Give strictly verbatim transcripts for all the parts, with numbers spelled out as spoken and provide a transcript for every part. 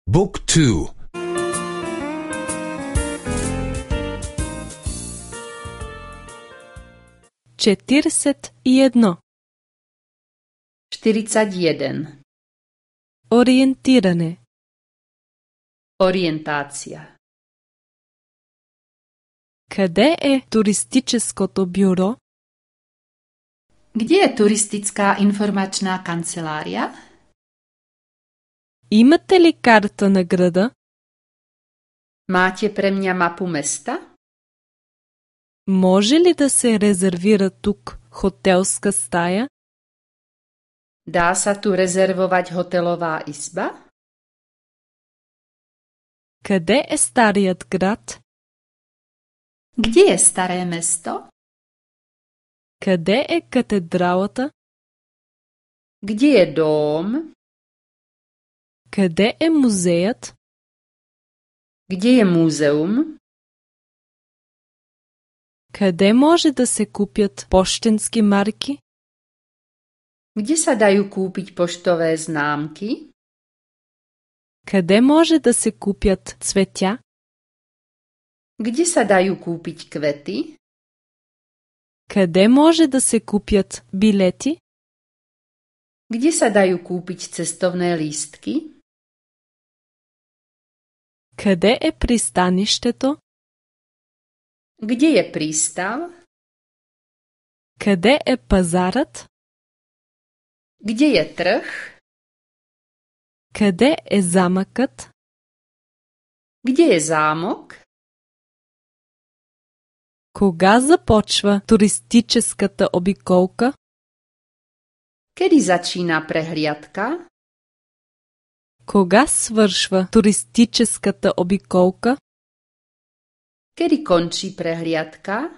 Book two. Četrdeset jedno. štyridsať jeden. Orijentirane. Orientácia. Къде е туристическото бюро? Kde je turistická informačná kancelária? Имате ли карта на града? Máte pre mňa mapu mesta? Може ли да се резервира тук хотелска стая? Dá sa tu rezervovať hotelová izba? Къде е старият град? Kde je staré mesto? Къде е катедралата? Kde je dóm? Къде е музеят? Kde je múzeum? Къде може да се купят пощенски марки? Kde sa dajú kúpiť poštové známky? Къде може да се купят цветя? Kde sa dajú kúpiť kvety? Къде може да се купят билети? Kde sa dajú kúpiť cestovné lístky? Къде е пристанището? Kde je prístav? Къде е пазарът? Kde je trh? Къде е замъкът? Kde je zámok? Кога започва туристическата обиколка? Kedy začína prehliadka? Кога свършва туристическата обиколка? Kedy končí prehliadka?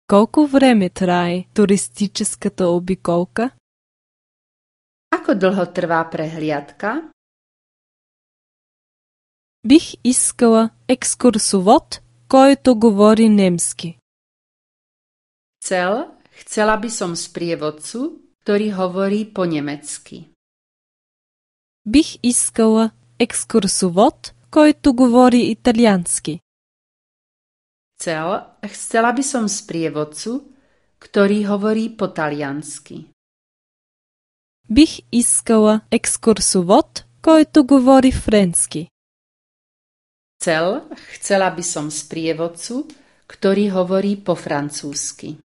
Колко време трае туристическата обиколка? Ako dlho trvá prehliadka? Бих искала екскурсовод, който говори немски. Chcel, chcela by som sprievodcu, ktorý hovorí po nemecky. Бих искала екскурсовод, който говори италиански. Chcel, chcela by som sprievodcu, ktorý hovorí po taliansky. Бих искала екскурсовод, който говори френски. Chcel, chcela by som sprievodcu, ktorý hovorí po francúzsky.